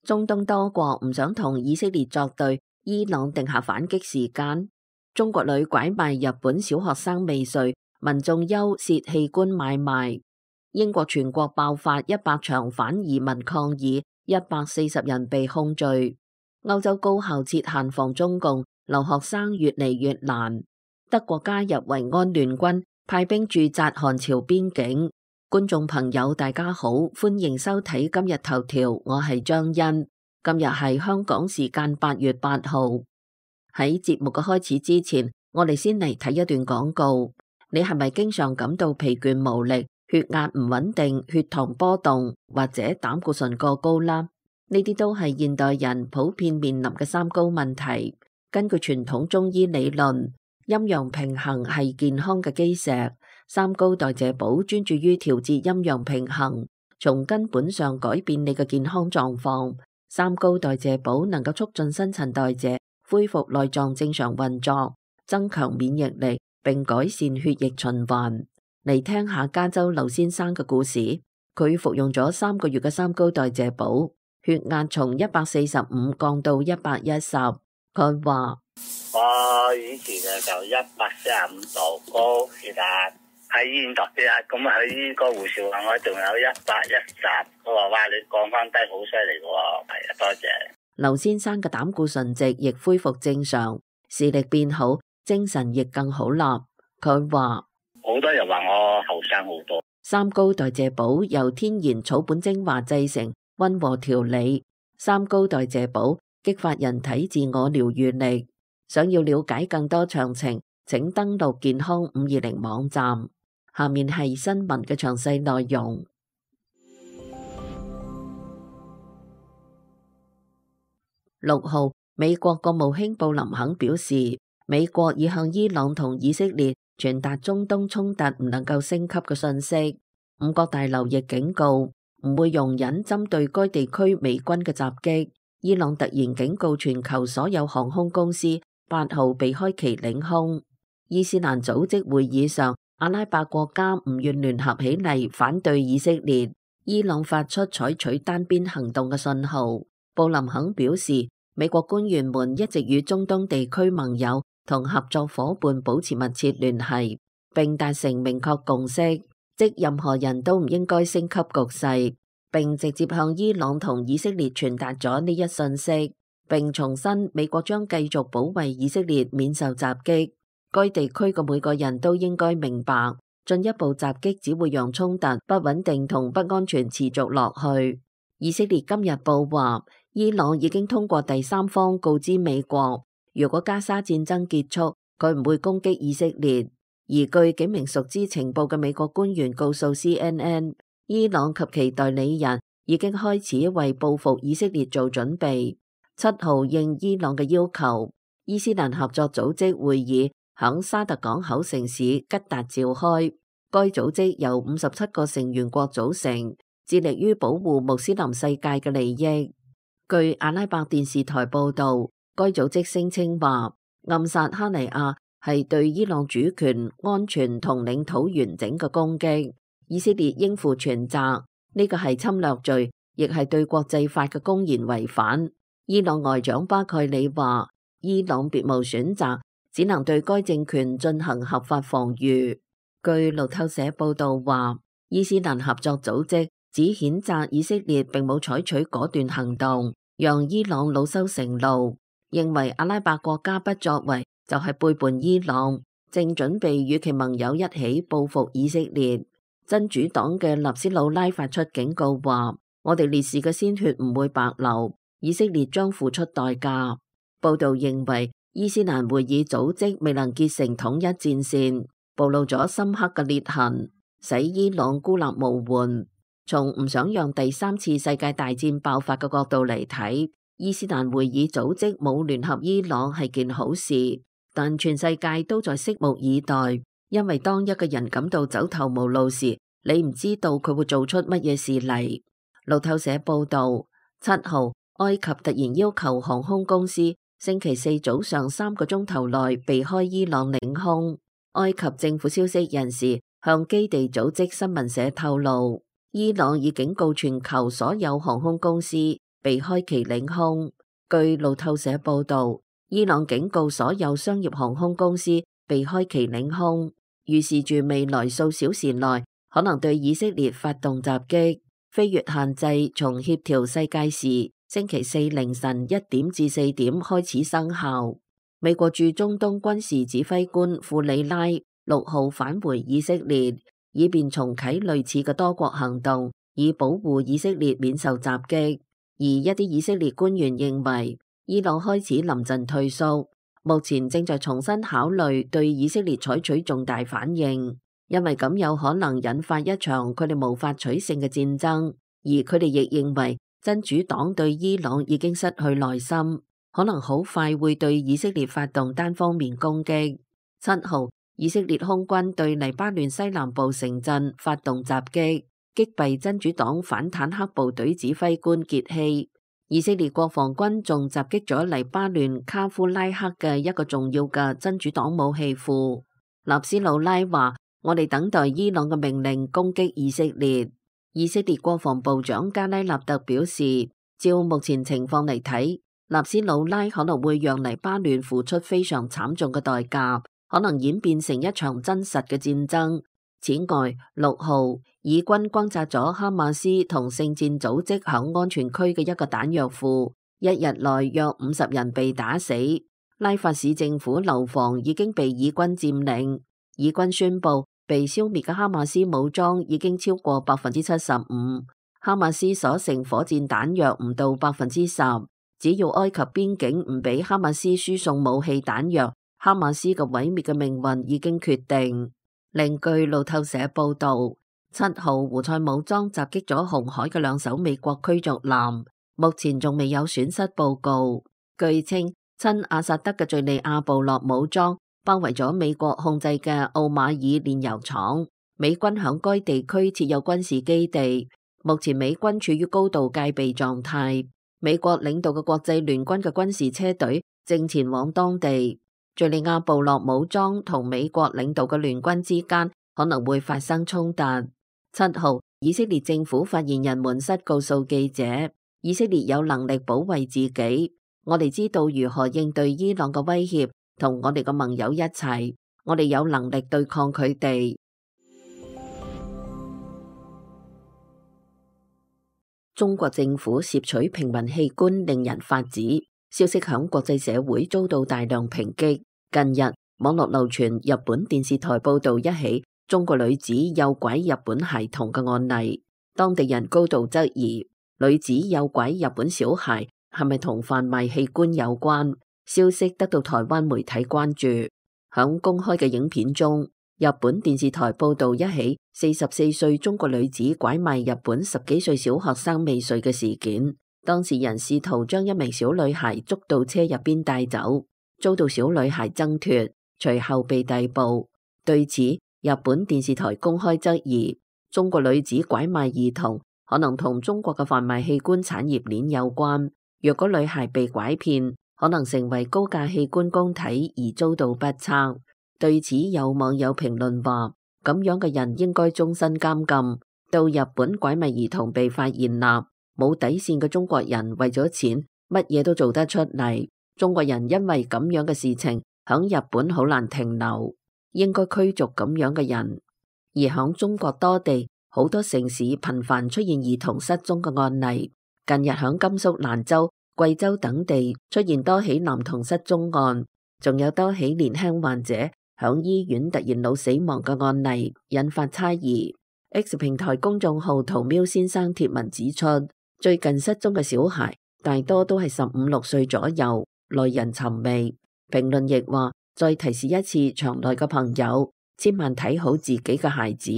中東多國唔想同以色列作對，伊朗定下反擊時間。中國女拐賣日本小學生未遂，民眾憂涉器官買賣。英國全國爆發100場反移民抗議，140人被控罪。歐洲高校設限防中共，留學生越嚟越難。德國加入維安聯軍，派兵駐紮韓朝邊境。觀眾朋友大家好，歡迎收睇今日頭條，我係張欣。今日係香港時間8月8號。喺節目嘅開始之前，我哋先嚟睇一段廣告。你係咪經常感到疲倦無力、血壓唔穩定、血糖波動或者膽固醇過高啦？呢啲都係現代人普遍面臨嘅三高問題。根據傳統中醫理論，陰陽平衡係健康嘅基石。三高代謝寶專注於調節陰陽平衡，從根本上改變你嘅健康狀況。三高代謝寶能夠促進新陳代謝，恢復內臟正常運作，增強免疫力，並改善血液循環。嚟聽下加州劉先生嘅故事，佢服用咗3個月嘅三高代謝寶，血壓從145降到110。佢話：我以前就145度高血壓。喺醫院度啲啊，咁啊喺呢個護士話我仲有110，佢話哇你降翻低好犀利喎，係啊，多謝。劉先生嘅膽固醇值亦恢復正常，視力變好，精神亦更好啦。佢話好多人話我後生好多。三高代謝寶由天然草本精華製成，溫和調理。三高代謝寶激發人體自我療癒力。想要了解更多詳情，請登錄健康520網站。下面係新聞嘅詳細內容。6號，美國國務卿布林肯表示，美國已向伊朗同以色列傳達中東衝突唔能夠升級嘅信息。五角大樓亦警告唔會容忍針對該地區美軍嘅襲擊。伊朗突然警告全球所有航空公司8號避開其領空。伊斯蘭組織會議上，阿拉伯國家唔願聯合起嚟反對以色列。伊朗發出採取單邊行動嘅信號。布林肯表示，美國官員們一直與中東地區盟友同合作夥伴保持密切聯繫，並達成明確共識，即任何人都唔應該升級局勢，並直接向伊朗同以色列傳達咗呢一信息，並重申美國將繼續保衛以色列免受襲擊。該地區嘅每個人都應該明白，進一步襲擊只會讓衝突不穩定同不安全持續落去。以色列今日報話，伊朗已經通過第三方告知美國，如果加沙戰爭結束，佢唔會攻擊以色列。而據幾名熟知情報嘅美國官員告訴 CNN， 伊朗及其代理人已經開始為報復以色列做準備。7號應伊朗嘅要求，伊斯蘭合作組織會議響沙特港口城市吉達召開。該組織由57個成員國組成，致力於保護穆斯林世界嘅利益。據阿拉伯電視台報道，該組織聲稱話，暗殺哈尼亞係對伊朗主權、安全同領土完整嘅攻擊，以色列應負全責。呢個係侵略罪，亦係對國際法嘅公然違反。伊朗外長巴蓋里話，伊朗別無選擇，只能對該政權進行合法防禦。據路透社報道話，伊斯蘭合作組織只譴責以色列並冇採取果斷行動，讓伊朗惱羞成怒，認為阿拉伯國家不作為就係背叛伊朗，正準備與其盟友一起報復以色列。真主黨嘅納斯魯拉發出警告話，我哋烈士嘅鮮血唔會白流，以色列將付出代價。報道認為，伊斯蘭會議組織未能結成統一戰線，暴露咗深刻嘅裂痕，使伊朗孤立無援。從唔想讓第3次世界大戰爆發嘅角度嚟睇，伊斯蘭會議組織冇聯合伊朗係件好事，但全世界都在拭目以待，因為當一個人感到走投無路時，你唔知道佢會做出乜嘢事嚟。路透社報道，7號，埃及突然要求航空公司星期4早上3個鐘頭內避開伊朗領空。埃及政府消息人士向基地組織新聞社透露，伊朗已警告全球所有航空公司，避開其領空。據路透社報導，伊朗警告所有商業航空公司避開其領空，預示住未來數小時內可能對以色列發動襲擊。飛越限制從協調世界時星期四凌晨1點至4點開始生效。美國駐中東軍事指揮官庫里拉6號返回以色列，以便重啟類似嘅多國行動，以保護以色列免受襲擊。而一啲以色列官員認為，伊朗開始臨陣退縮，目前正在重新考慮對以色列採取重大反應，因為咁有可能引發一場佢哋無法取勝嘅戰爭。而佢哋亦認為真主黨對伊朗已經失去耐心，可能好快會對以色列發動單方面攻擊。7號，以色列空軍對黎巴嫩西南部城鎮發動襲擊，擊斃真主黨反坦克部隊指揮官傑希。以色列國防軍仲襲擊咗黎巴嫩卡夫拉克嘅一個重要嘅真主黨武器庫。納斯魯拉話：我哋等待伊朗嘅命令攻擊以色列。以色列國防部長加拉納特表示，照目前情況嚟睇，納斯魯拉可能會讓黎巴嫩付出非常慘重嘅代價，可能演變成一場真實嘅戰爭。此外，6號，以軍轟炸咗哈馬斯同聖戰組織響安全區嘅一個彈藥庫，一日內約50人被打死。拉法市政府樓房已經被以軍佔領。以軍宣布，被消滅嘅哈馬斯武裝已經超過75%，哈馬斯所剩火箭彈藥唔到10%。只要埃及邊境唔俾哈馬斯輸送武器彈藥，哈馬斯嘅毀滅嘅命運已經決定。另據路透社報道，7號胡塞武裝襲擊咗紅海嘅2艘美國驅逐艦，目前仲未有損失報告。據稱，親阿薩德嘅敘利亞部落武裝包圍咗美國控制嘅奧馬爾煉油廠，美軍響該地區設有軍事基地，目前美軍處於高度戒備狀態。美國領導嘅國際聯軍嘅軍事車隊正前往當地。敘利亞部落武裝同美國領導嘅聯軍之間可能會發生衝突。7號，以色列政府發言人門塞告訴記者，以色列有能力保衛自己，我哋知道如何應對伊朗嘅威脅，同我哋嘅盟友一齊，我哋有能力對抗佢哋。中國政府攝取平民器官令人髮指，消息響國際社會遭到大量抨擊。近日，網絡流傳日本電視台報道一起中國女子誘拐日本孩童嘅案例，當地人高度質疑女子誘拐日本小孩係咪同販賣器官有關。消息得到台灣媒體關注。響公開嘅影片中，日本電視台報道一起44歲中國女子拐賣日本10幾歲小學生未遂嘅事件。當事人試圖將一名小女孩捉到車入邊帶走，遭到小女孩掙脫，隨後被逮捕。對此，日本電視台公開質疑，中國女子拐賣兒童可能同中國嘅販賣器官產業鏈有關。若果女孩被拐騙，可能成為高價器官供體而遭到不測。對此，有網友評論話，咁樣嘅人應該終身監禁。到日本拐賣兒童被發現啦，冇底線嘅中國人為咗錢，乜嘢都做得出嚟。中國人因為咁樣嘅事情響日本好難停留，應該驅逐咁樣嘅人。而響中國多地好多城市頻繁出現兒童失蹤嘅案例，近日響甘肅蘭州、貴州等地出現多起男童失蹤案，仲有多起年輕患者響醫院突然腦死亡嘅案例，引發猜疑。X 平台公眾號屠喵先生貼文指出，最近失蹤嘅小孩大多都係15、16歲左右，耐人尋味。評論亦話，再提示一次場內嘅朋友，千萬睇好自己嘅孩子，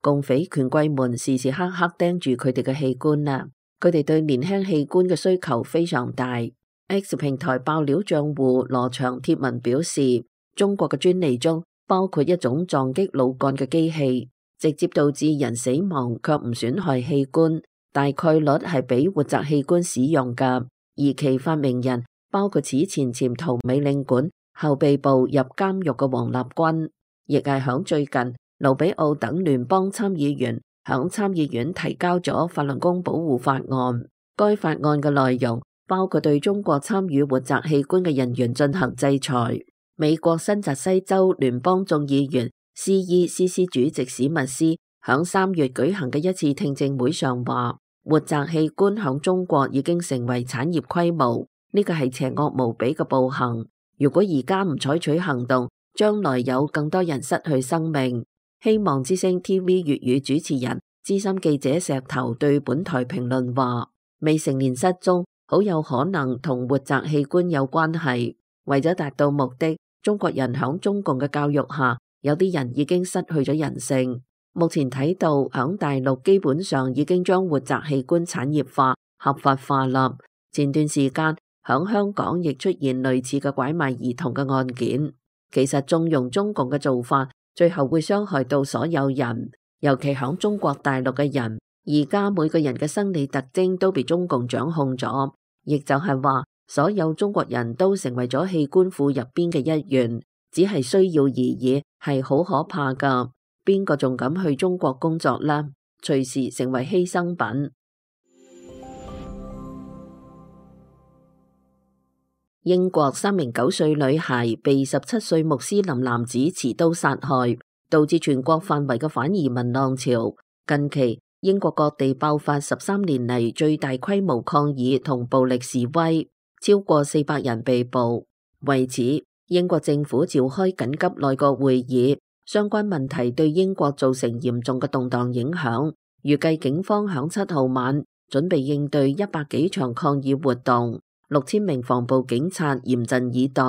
共匪權貴們時時刻刻盯住佢哋嘅器官啦。佢哋對年輕器官嘅需求非常大。X 平台爆料賬戶羅翔貼文表示，中國嘅專利中包括一種撞擊腦幹嘅機器，直接導致人死亡卻唔損害器官，大概率係俾活摘器官使用㗎。而其發明人包括此前潛逃美領館後被捕入監獄嘅王立軍，亦係響最近盧比奧等聯邦參議員響參議院提交咗法輪功保護法案，該法案嘅內容包括對中國參與活摘器官嘅人員進行制裁。美國新澤西州聯邦眾議員CECC 主席史密斯響3月舉行嘅一次聽證會上話，活摘器官響中國已經成為產業規模，呢個係邪惡無比嘅暴行。如果而家唔採取行動，將來有更多人失去生命。希望之聲 TV 粵語主持人資深記者石頭對本台評論話，未成年失蹤好有可能同活摘器官有關係。為咗達到目的，中國人響中共嘅教育下，有啲人已經失去咗人性。目前睇到響大陸基本上已經將活摘器官產業化、合法化啦。前段時間響香港亦出現類似嘅拐賣兒童嘅案件。其實縱容中共嘅做法，最後會傷害到所有人，尤其響中國大陸嘅人。而家每個人嘅生理特徵都被中共掌控咗，亦就係話所有中國人都成為咗器官庫入邊嘅一員，只係需要而已，係好可怕噶。邊個仲敢去中國工作呢？隨時成為犧牲品。英國3名9歲女孩被17歲穆斯林男子持刀殺害，導致全國範圍嘅反移民浪潮。近期英國各地爆發13年嚟最大規模抗議同暴力示威，超過400人被捕。為此，英國政府召開緊急內閣會議，相關問題對英國造成嚴重嘅動盪影響。預計警方響7號晚準備應對100幾場抗議活動，6000名防暴警察嚴陣以待。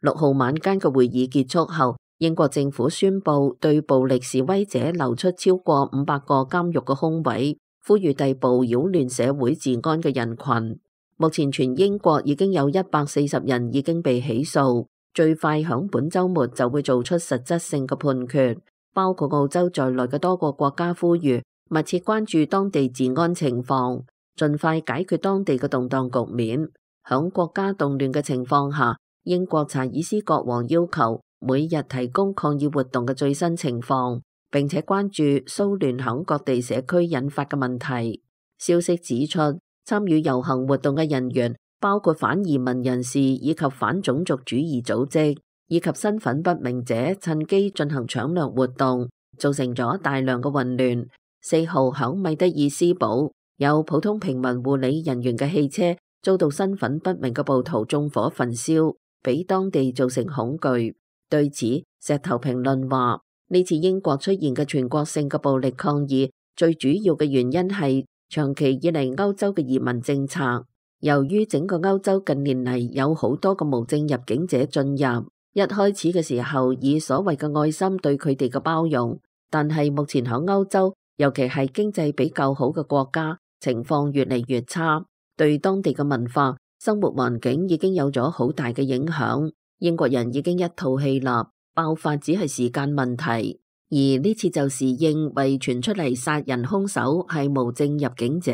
6號晚間嘅會議結束後，英國政府宣布對暴力示威者留出超過500個監獄嘅空位，呼籲逮捕擾亂社會治安嘅人群。目前全英國已經有140人已經被起訴，最快響本週末就會做出實質性嘅判決。包括澳洲在內嘅多個國家呼籲密切關注當地治安情況，盡快解決當地嘅動盪局面。響國家動亂嘅情況下，英國查爾斯國王要求每日提供抗議活動嘅最新情況，並且關注騷亂響各地社區引發嘅問題。消息指出，參與遊行活動嘅人員包括反移民人士以及反種族主義組織，以及身份不明者趁機進行搶掠活動，造成咗大量嘅混亂。4號響米德爾斯堡，有普通平民護理人員嘅汽車遭到身份不明嘅暴徒縱火焚燒，俾當地造成恐懼。對此，石頭評論話，呢次英國出現嘅全國性嘅暴力抗議，最主要嘅原因係長期以嚟歐洲嘅移民政策。由於整個歐洲近年嚟有好多個無證入境者進入，一開始嘅時候以所謂嘅愛心對佢哋嘅包容，但係目前喺歐洲，尤其係經濟比較好嘅國家，情況越嚟越差，對當地嘅文化、生活環境已經有咗好大嘅影響。英國人已經一肚氣啦，爆發只係時間問題。而呢次就係因為傳出嚟殺人兇手係無證入境者，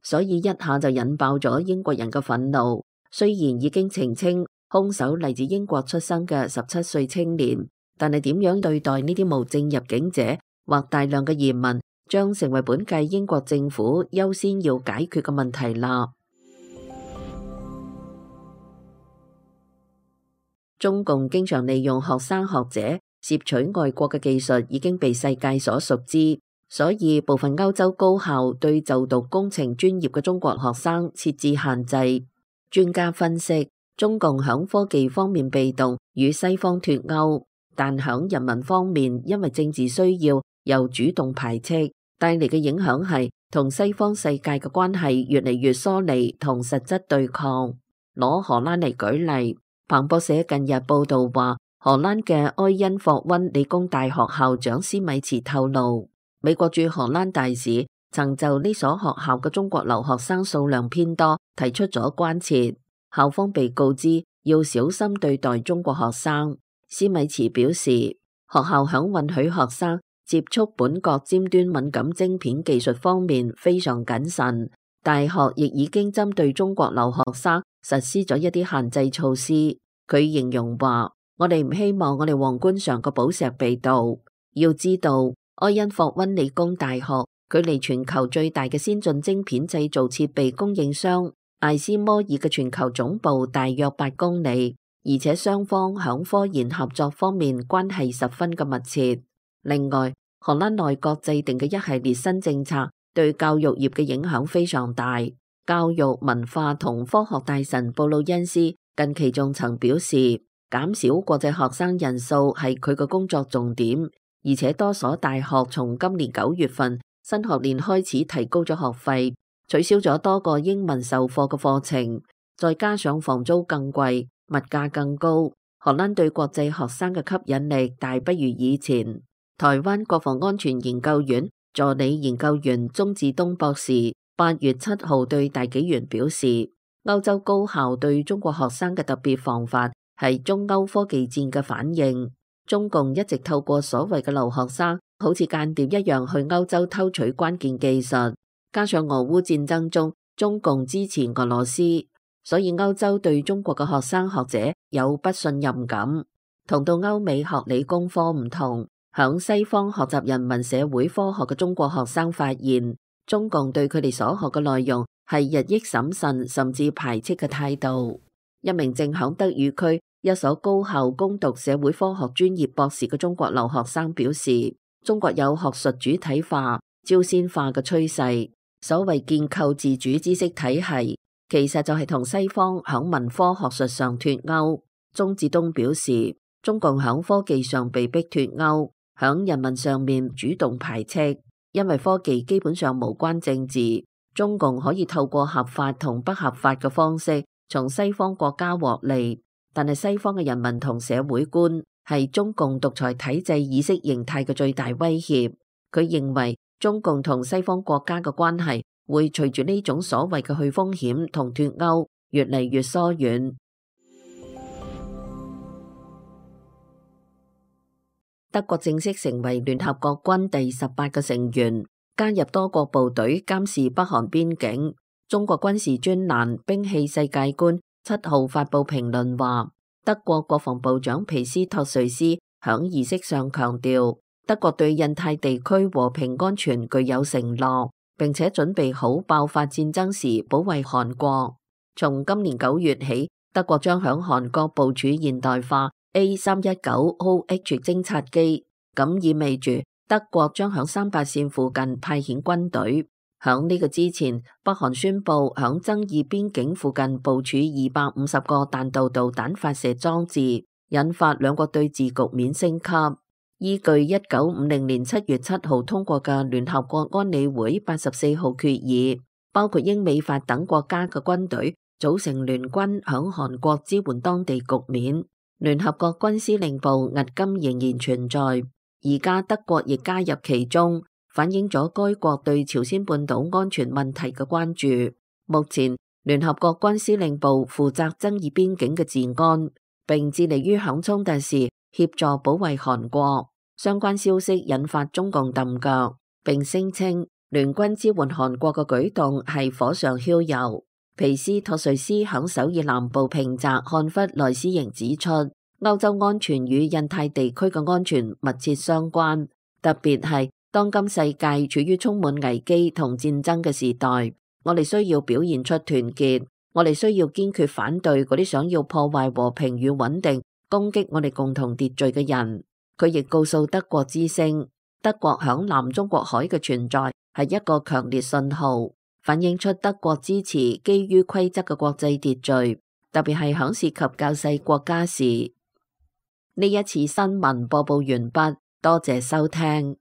所以一下就引爆咗英國人嘅憤怒。雖然已經澄清兇手嚟自英國出生嘅17歲青年，但係點樣對待呢啲無證入境者或大量嘅移民，將成為本屆英國政府優先要解決嘅問題啦。中共經常利用學生學者攝取外國嘅技術已經被世界所熟知，所以部分歐洲高校對就讀工程專業嘅中國學生設置限制。專家分析，中共響科技方面被動，與西方脫鈎，但響人民方面因為政治需要又主動排斥，帶嚟嘅影響係同西方世界嘅關係越嚟越疏離同實質對抗。攞荷蘭嚟舉例，彭博社近日報道話，荷蘭嘅埃因霍溫理工大學校長施米茨透露，美國駐荷蘭大使曾就呢所學校嘅中國留學生數量偏多提出咗關切，校方被告知要小心對待中國學生。施米茨表示，學校響允許學生接觸本國尖端敏感晶片技術方面非常謹慎，大學亦已經針對中國留學生實施咗一啲限制措施。佢形容話，我哋唔希望我哋皇冠上個寶石被盜。要知道，埃因霍溫理工大學距離全球最大嘅先進晶片製造設備供應商艾斯摩爾嘅全球總部大約8公里，而且雙方響科研合作方面關係十分嘅密切。另外，荷蘭內閣制定嘅一系列新政策對教育業嘅影響非常大。教育、文化同科學大臣布魯恩斯近期仲曾表示，減少國際學生人數係佢嘅工作重點，而且多所大學從今年9月份新學年開始提高咗學費，取消咗多個英文授課嘅課程，再加上房租更貴，物價更高，荷蘭對國際學生嘅吸引力大不如以前。台灣國防安全研究院助理研究員鍾志東博士8月7號對大紀元表示，歐洲高校對中國學生嘅特別防範係中歐科技戰嘅反應。中共一直透過所謂嘅留學生，好似間諜一樣去歐洲偷取關鍵技術，加上俄烏戰爭中中共支持俄羅斯，所以歐洲對中國嘅學生學者有不信任感。同到歐美學理工科唔同，響西方學習人文社會科學嘅中國學生發現，中共對佢哋所學嘅內容係日益審慎甚至排斥嘅態度。一名正響德語區一所高校攻讀社會科學專業博士嘅中國留學生表示，中國有學術主體化、朝鮮化嘅趨勢。所謂建構自主知識體系，其實就係同西方響文科學術上脫鈎。鍾志東表示，中共響科技上被逼脫鈎，響人民上面主動排斥，因為科技基本上無關政治，中共可以透過合法同不合法嘅方式從西方國家獲利，但係西方嘅人民同社會觀係中共獨裁體制意識形態嘅最大威脅。佢認為中共同西方國家嘅關係會隨住呢種所謂嘅去風險同脫鈎越嚟越疏遠。德國正式成為聯合國軍第18個成員，加入多國部隊監視北韓邊境。中國軍事專欄《兵器世界觀》7號發佈評論話，德國國防部長皮斯托瑞斯響儀式上強調，德國對印太地區和平安全具有承諾，並且準備好爆發戰爭時保衛韓國。從今年9月起，德國將響韓國部署現代化 A319OH 偵察機，咁意味住德國將響3八線附近派遣軍隊。響呢個之前，北韓宣布響爭議邊境附近部署250個彈道導彈發射裝置，引發兩國對峙局面升級。依據1950年7月7號通過嘅聯合國安理會84號決議，包括英美法等國家嘅軍隊組成聯軍響韓國支援當地局面。聯合國軍司令部迄今仍然存在，而家德國亦加入其中，反映咗該國對朝鮮半島安全問題嘅關注。目前，聯合國軍司令部負責爭議邊境嘅治安，並致力於響衝突時協助保衛韓國。相關消息引發中共揼腳，並聲稱聯軍支援韓國嘅舉動係火上澆油。皮斯托瑞斯響首爾南部平澤漢弗萊斯營指出，歐洲安全與印太地區嘅安全密切相關，特別係當今世界處於充滿危機同戰爭嘅時代，我哋需要表現出團結，我哋需要堅決反對嗰啲想要破壞和平與穩定、攻擊我哋共同秩序嘅人。佢亦告訴德國之聲，德國響南中國海嘅存在係一個強烈信號，反映出德國支持基於規則嘅國際秩序，特別係響涉及較細國家時。呢一次新聞播報完畢，多謝收聽。